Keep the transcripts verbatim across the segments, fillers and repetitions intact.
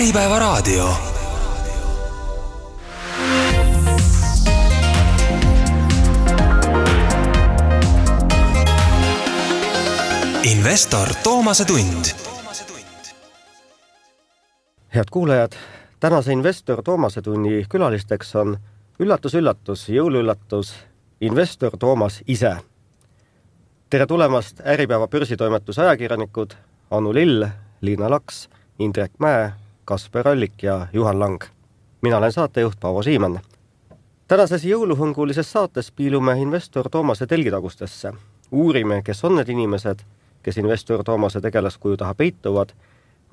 Äripäeva raadio. Investor Toomase tund. Head kuulajad, tänase Investor Toomase tunni külalisteks on üllatus-üllatus, jõuluüllatus, Investor Toomas ise. Tere tulemast Äripäeva börsitoimetuse ajakirjanikud Anu Lill, Liina Laks, Indrek Mäe, Kasper Allik ja Juhan Lang. Mina olen saatejuht Paavo Siimann. Tänases jõuluhõngulises saates piilume Investor Toomase telgitagustesse. Uurime, kes on need inimesed, kes Investor Toomase tegelaskuju taha peituvad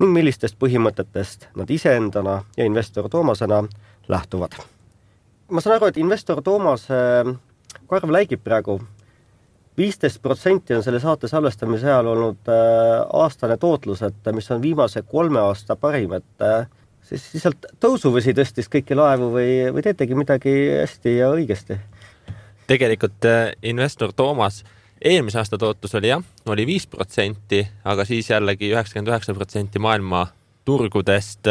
ning millistest põhimõtetest nad iseendana ja Investor Toomasena lähtuvad. Ma saan aru, et Investor Toomase karv läigib praegu. viisteist protsenti on selle saate salvestamise ajal olnud aastane tootlus, et mis on viimase kolme aasta parim, et siis lihtsalt tõusuvõsi tõstis kõiki laevu või, või teetegi midagi hästi ja õigesti? Tegelikult Investor Toomas eelmise aasta tootlus oli jah, oli viis protsenti, aga siis jällegi üheksakümmend üheksa protsenti maailma turgudest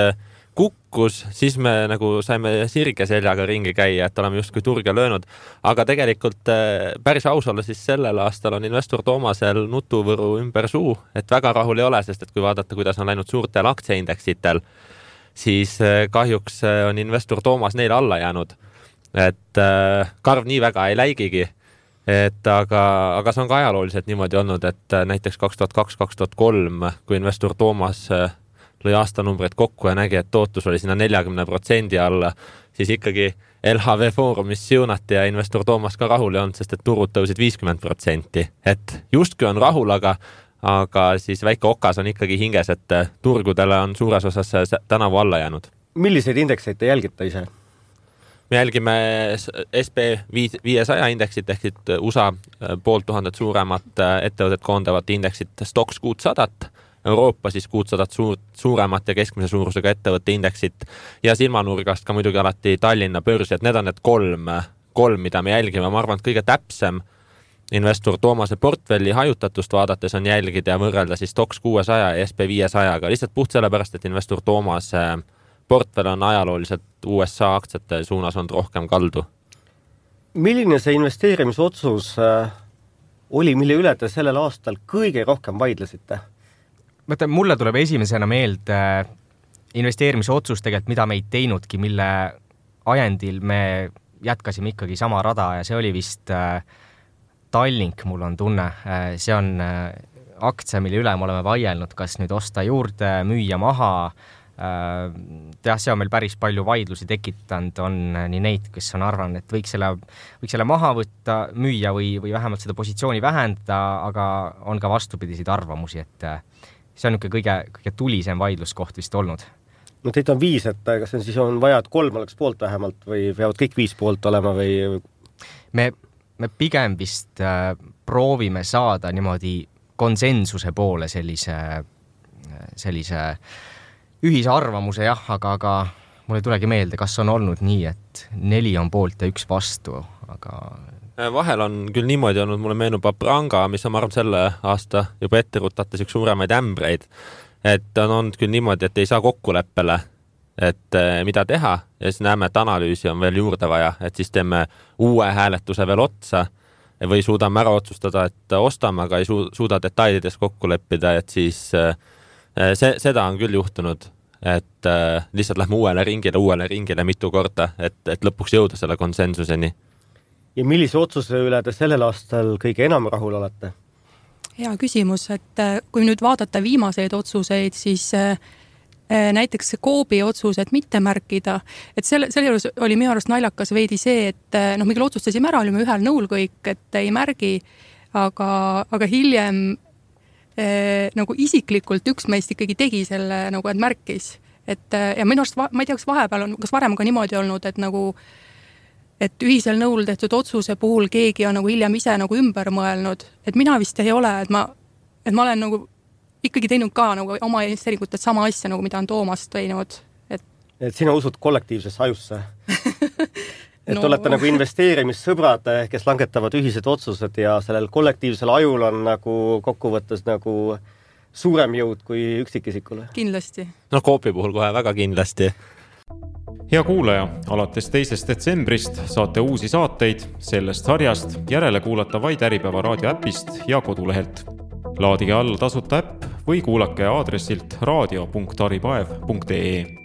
kukkus, siis me nagu saime sirge seljaga ringi käia, et oleme justkui turge löönud. Aga tegelikult päris aus olla, siis sellel aastal on Investor Toomasel nutuvõru ümber suu, et väga rahul ei ole, sest et kui vaadata, kuidas on läinud suurtel aktsiaindeksitel, siis kahjuks on Investor Toomas neile alla jäänud. Et karv nii väga ei läigigi. Et aga, aga see on ka ajalooliselt niimoodi olnud, et näiteks kaks tuhat kaks kaks tuhat kolm, kui Investor Toomas lõi aastanumbreid kokku ja nägi, et tootlus oli sinna nelikümmend protsenti alla, siis ikkagi L H V Foorumis siunati ja Investor Toomas ka rahul ei olnud, sest et turud tõusid viiskümmend protsenti. Et justkui on rahul, aga, aga siis väike okas on ikkagi hinges, et turgudele on suures osas tänavu alla jäänud. Milliseid indekseid te jälgite ise? Me jälgime S P viiesaja indeksit ehk U S A poolt tuhandet suuremat ettevõtet koondavat indeksit Stoxx kuutsadat, Euroopa siis kuutsadat suur, suuremat ja keskmise suurusega ettevõtte indeksit ja silmanurgast ka muidugi alati Tallinna börsi, et need on need kolm, kolm, mida me jälgime. Ma arvan, et kõige täpsem Investor Toomase portfelli hajutatust vaadates on jälgida ja võrrelda siis Stoxx kuuesaja ja S P viiesajaga, lihtsalt puht sellepärast, et Investor Toomase portfell on ajalooliselt U S A aktsiate suunas on rohkem kaldu. Milline see investeerimisotsus oli, mille üle te sellel aastal kõige rohkem vaidlesite? Mõtle, mulle tuleb esimesena meelde investeerimise otsus tegelikult, mida me ei teinudki, mille ajendil me jätkasime ikkagi sama rada ja see oli vist Tallink, mul on tunne. See on aktsia, mille üle me oleme vaielnud, kas nüüd osta juurde, müüa maha. Teah, see on meil päris palju vaidlusi tekitanud, on nii neid, kes on arvanud, et võiks selle, võiks selle maha võtta, müüa või, või vähemalt seda positsiooni vähendada, aga on ka vastupidiseid arvamusi, et see on niisugune kõige, kõige tulisem vaidluskoht vist olnud. No teid on viis, et kas on siis on vaja, et kolm oleks poolt vähemalt või peavad kõik viis poolt olema või? Me, me pigem vist äh, proovime saada niimoodi konsensuse poole sellise, sellise ühise arvamuse, jah, aga, aga mul ei tulegi meelde, kas on olnud nii, et neli on poolt ja üks vastu, aga vahel on küll niimoodi olnud, mulle meenub Apranga, mis on, ma arvan, selle aasta juba ette rutates üks suuremaid ämbreid, et on olnud küll niimoodi, et ei saa kokkuleppele, et mida teha ja siis näeme, et analüüsi on veel juurde vaja, et siis teeme uue hääletuse veel otsa või suudame ära otsustada, et ostame, aga ei suuda detailides kokku leppida, et siis see, seda on küll juhtunud, et lihtsalt lähme uuele ringile, uuele ringile mitu korda, et, et lõpuks jõuda selle konsensuseni. Ja millise otsuse üle te sellel aastal kõige enam rahul olete? Hea küsimus, et kui nüüd vaadata viimaseid otsuseid, siis näiteks Coopi otsus, et mitte märkida, et selle, selle juures oli minu arust naljakas veidi see, et no, mille otsustasime ära, olime ühel nõul kõik, et ei märgi, aga, aga hiljem eh, nagu isiklikult üks meist ikkagi tegi selle, nagu, et märkis. Et, ja minu arust, ma ei tea, kas vahepeal on, kas varem ka niimoodi olnud, et nagu et ühisel nõul tehtud otsuse puhul keegi on nagu hiljem ise nagu ümber mõelnud, et mina vist ei ole, et ma, et ma olen nagu ikkagi teinud ka nagu oma investeeringut, et sama asja, nagu mida on Toomas teinud. Et, et sina usud kollektiivsesse ajusse? Et no. Olete nagu investeerimissõbrad, kes langetavad ühised otsused ja sellel kollektiivsel ajul on nagu kokkuvõttes nagu suurem jõud kui üksikisikule. Kindlasti. No Coopi puhul kohe väga kindlasti. Hea kuulaja, alates teisest detsembrist saate uusi saateid sellest sarjast järele kuulata vaid Äripäeva raadio äpist ja kodulehelt. Laadige alla tasuta äpp või kuulake aadressilt raadio punkt aripaev punkt ee.